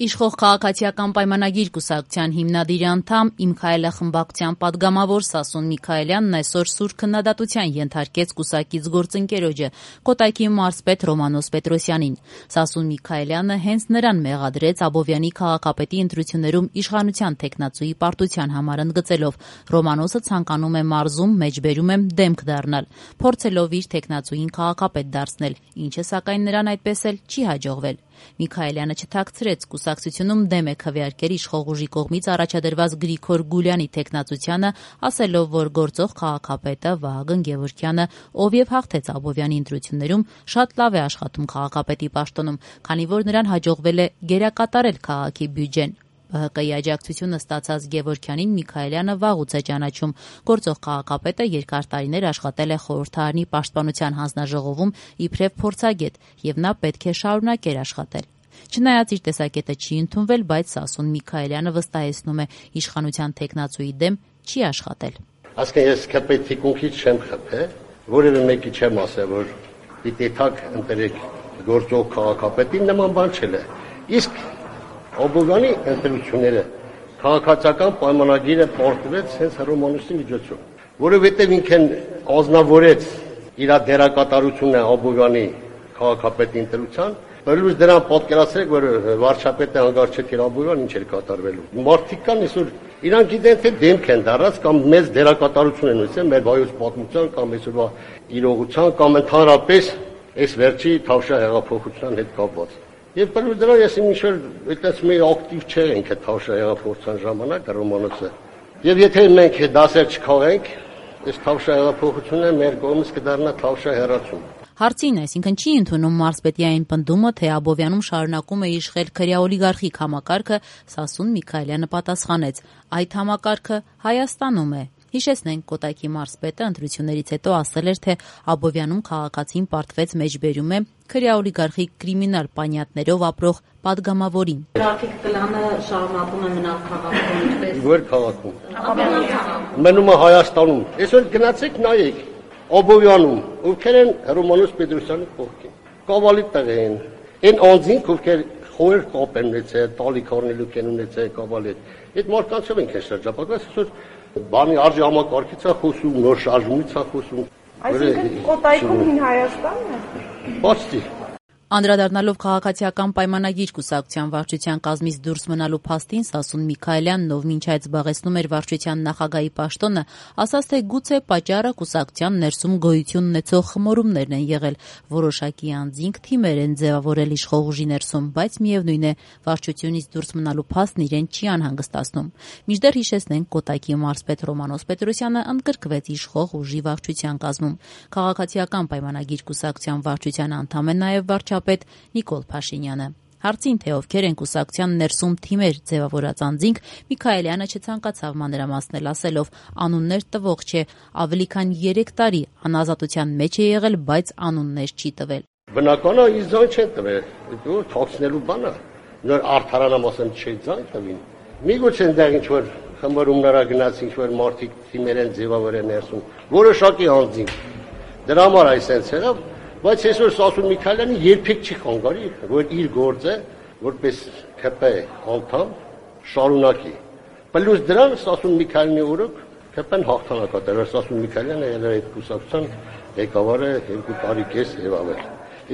Իշխող քաղաքացիական պայմանագիր կուսակցության հիմնադիր անդամ «Իմ Քայլը» խմբակցության պատգամավոր Սասուն Միքայելյանն այսօր սուր քննադատության ենթարկեց կուսակից գործընկերոջը Կոտայքի մարզպետ Ռոմանոս Պետրոսյանին։ Սասուն Միքայելյանը հենց նրան մեղադրեց Աբովյանի քաղաքապետի ընտրություններում իշխանության թեկնածուի պարտության համար ընդգծելով Ռոմանոսը ցանկանում է մարզում մեջբերում եմ դեմք դառնալ, փորձելով իր թեկնածուին քաղաքապետ դարձնել, ինչը սակայն նրան այդպես էլ չի հաջողվել։ Միքայելյանը չթաքցրեց կուսակցությունում դեմ է քվեարկել իշխող ուժի կողմից առաջադրված Գրիգոր Գուլյանի թեկնածությանը, ասելով, որ գործող քաղաքապետը Վահագն Գևորգյանը, ով եւ հաղթեց Աբովյանի ընտրություններում, շատ լավ է աշխատում քաղաքապետի պաշտոնում, քանի որ նրան հաջողվել է գերակատարել քաղաքի բյուջեն։ ԲՀԿ-ի աջակցությունը ստացած Գևորգյանին Միքայելյանը վաղուց է ճանաչում։ Գործող քաղաքապետը երկար տարիներ աշխատել է խորհրդարանի պաշտպանության հանձնաժողովում իբրև փորձագետ, եւ նա պետք է շարունակեր աշխատել։ Չնայած իր տեսակետը չի ընդունվել, բայց Սասուն Միքայելյանը վստահեցնում է իշխանության թեկնածուի դեմ չի աշխատել։ Ասկե ես քպեցի կոնքից չեմ խփել, որևէ մեկի չեմ ասել, որ պիտի թակ ընտրեք գործող քաղաքապետին, նման բան չել է։ Իսկ Աբովյանի ընտրությունները քաղաքացիական պայմանագիրը պարտվեց հենց Ռոմանոսի միջոցով, որովհետև ինքն ազնվորեց իր դերակատարությունը Աբովյանի քաղաքապետի ընտրության, բերլուց դրան պատկերացրեք, որ վարչապետը հանգարչեց իր Աբովյան ինչ էր կատարվելու։ Մարդիկ կան այսօր իրանք գիտեն թե դեմք են դարած կամ մեծ դերակատարություն են ունեցել մեր վայոց պատմության կամ այսօրվա իրողության կամ ընդհանրապես այս վերջի Թավշյա հեղափոխության հետ կապված։ Եվ բերլուց դրան ես ինչ-որ այդպես մի ակտիվ չենք այդ Թավշյա հեղափոխության ժամանակ Ռոմանոսը։ Եվ եթե մենք դասեր չքաղենք, այս Թավշյա հեղափոխությունը մեր կողմից կդառնա Թավշյա հեռացում։ Հարցին, այսինքն չի ընդունում մարզպետի այն պնդումը, թե Աբովյանում շարունակում է իշխել քրեաօլիգարխիկ համակարգը, Սասուն Միքայելյանը պատասխանեց. այդ համակարգը Հայաստանում է։ Հիշեցնենք, Կոտայքի մարզպետը ընտրություններից հետո ասել էր, թե Աբովյանում քաղաքացին պարտվեց մեջբերում է քրեաօլիգարխիկ կրիմինալ պանյատներով ապրող падգամավորին։ Գրաֆիկ պլանը շարունակում է մնալ քաղաքում ինչպես։ Որ քաղաքում։ Մնում է Հայաստանում։ Այսօր գնացեք նայեք Աբովյանում, ովքեր են Ռոմանոս Պետրոսյանի կողքին։ Կավալի տեղ են։ Այն անձինք, ովքեր խորեր կապ են ունեցել, տալիք առնելու են ունեցել կավալի։ Այդ մարդկանցով ենք շրջապատված, այսօր բանի արժի համակարգից է խոսում, նոր շարժումից է խոսում։ Այսինքն Կոտայքում հին Հայաստանն է։ Բացի Անդրադառնալով քաղաքացիական պայմանագիր կուսակցության վարչության կազմից դուրս մնալու փաստին, Սասուն Միքայելյանն, ով մինչ այդ զբաղեցնում էր վարչության նախագահի պաշտոնը, ասաց, թե գուցե պատճառը կուսակցության ներսում գոյություն ունեցող խմորումներն են եղել, որոշակի անձինք թիմեր են ձևավորել իշխող ուժի ներսում, բայց միևնույն է, վարչությունից դուրս մնալու փաստն իրեն չի անհանգստացնում։ Մինչդեռ հիշեցնենք, Կոտայքի մարզպետ Ռոմանոս Պետրոսյանը ընդգրկվեց իշխող ուժի վարչության կազմում։ Քաղաքացիական պայմանագիր կուսակցության վարչության անդամ է նաև վարչապետ Նիկոլ Փաշինյանը։ Հարցին, թե ովքեր են կուսակցության ներսում թիմեր ձևավորած անձինք, Միքայելյանը չցանկացավ մանրամասնել, ասելով անուններ տվող չէ, ավելի քան 3 տարի անազատության մեջ է եղել, բայց անուններ չի տվել։ Բնական է, իր ձայն չեն տվել, դու թաքցնելու բան է, նոր արդարանամ ասեմ չի ձայն տվին։ Միգուցե այնտեղ ինչ-որ խմբարումնարա գնաց, ինչ-որ մարդիկ թիմեր են ձևավորել ներսում, որոշակի անձինք։ Դրա համար այսպես էր, բայց այսօր Սասուն Միքայելյանը երբեք չի խանգարի, որ իր գործը որպես ԿՊ անդամ շարունակի։ Պլյուս դրան Սասուն Միքայելյանի օրոք ԿՊ-ն հաղթանակատար, Սասուն Միքայելյանը եղել է այդ կուսակցության ղեկավարը 2 տարի կես եւ ավել։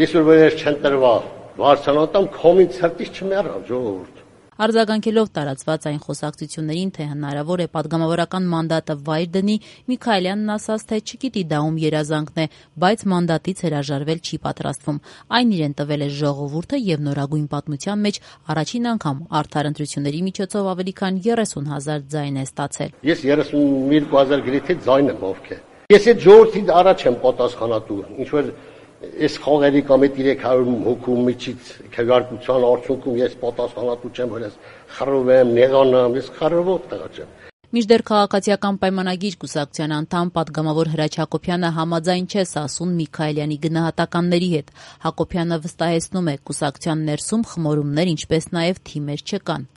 Այսօր որ չեն տրվել վարչանատամ կոմին ցրտից չմեռավ ժողովուրդ։ Արձագանքելով տարածված այն խոսակցություններին, թե հնարավոր է падգամավորական մանդատը վայր դնի, Միքայելյանն ասաց, թե չգիտի դա ում երազանքն է, բայց մանդատից հրաժարվել չի պատրաստվում։ Այն իրեն տվել է ժողովուրդը եւ նորագույն պատմության մեջ առաջին անգամ արդար ընտրությունների միջոցով ավելի քան 30,000 ձայն է ստացել։ Ես 32,000 գրեթե ձայն եմ ովքեր։ Ես այդ ժողովրդի առաջ եմ պատասխանատու, ինչ որ այս խաղերի կամ այդ 300 հոգու միջից քվեարկության արդյունքում ես պատասխանատու չեմ, որ ես խռով եմ, նեղանամ, ես խռովող տղա չեմ։ Մինչդեռ քաղաքացիական պայմանագիր կուսակցության անդամ պատգամավոր Հրաչ Հակոբյանը համաձայն չէ Սասուն Միքայելյանի գնահատականների հետ։ Հակոբյանը վստահեցնում է, կուսակցության ներսում խմորումներ, ինչպես նաև թիմեր չկան։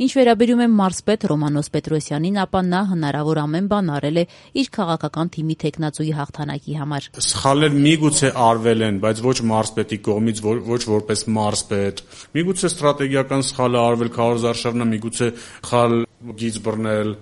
Ինչ վերաբերում է մարզպետ Ռոմանոս Պետրոսյանին, ապա նա հնարավոր ամեն բան արել է իր քաղաքական թիմի թեկնածուի հաղթանակի համար։ Սխալներ միգուցե արվել են, բայց ոչ մարզպետի կողմից, ոչ որպես մարզպետ։ Միգուցե ստրատեգիական սխալ է արվել քարոզարշավը, միգուցե սխալ գիծ բռնել։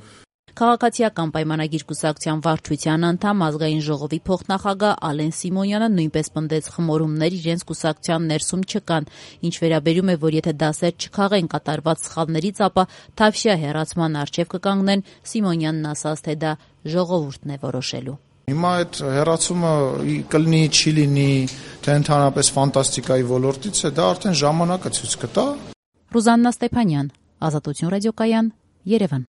Քաղաքացիական պայմանագիր կուսակցության վարչության անդամ ազգային ժողովի փոխնախագահ Ալեն Սիմոնյանը նույնպես պնդեց խմորումներ իրենց կուսակցության ներսում չկան։ Ինչ վերաբերում է, որ եթե դասեր չքաղեն կատարված սխալներից, ապա Թավշյա հեռացման առջև կկանգնեն, Սիմոնյանն ասաց, թե դա ժողովուրդն է որոշելու։ Հիմա այդ հեռացումը կլինի, չի լինի, թե ընդհանրապես ֆանտաստիկայի ոլորտից է, դա արդեն ժամանակը ցույց կտա։ Ռուզաննա Ստեփանյան, Ազատություն ռադիոկայան, Երևան։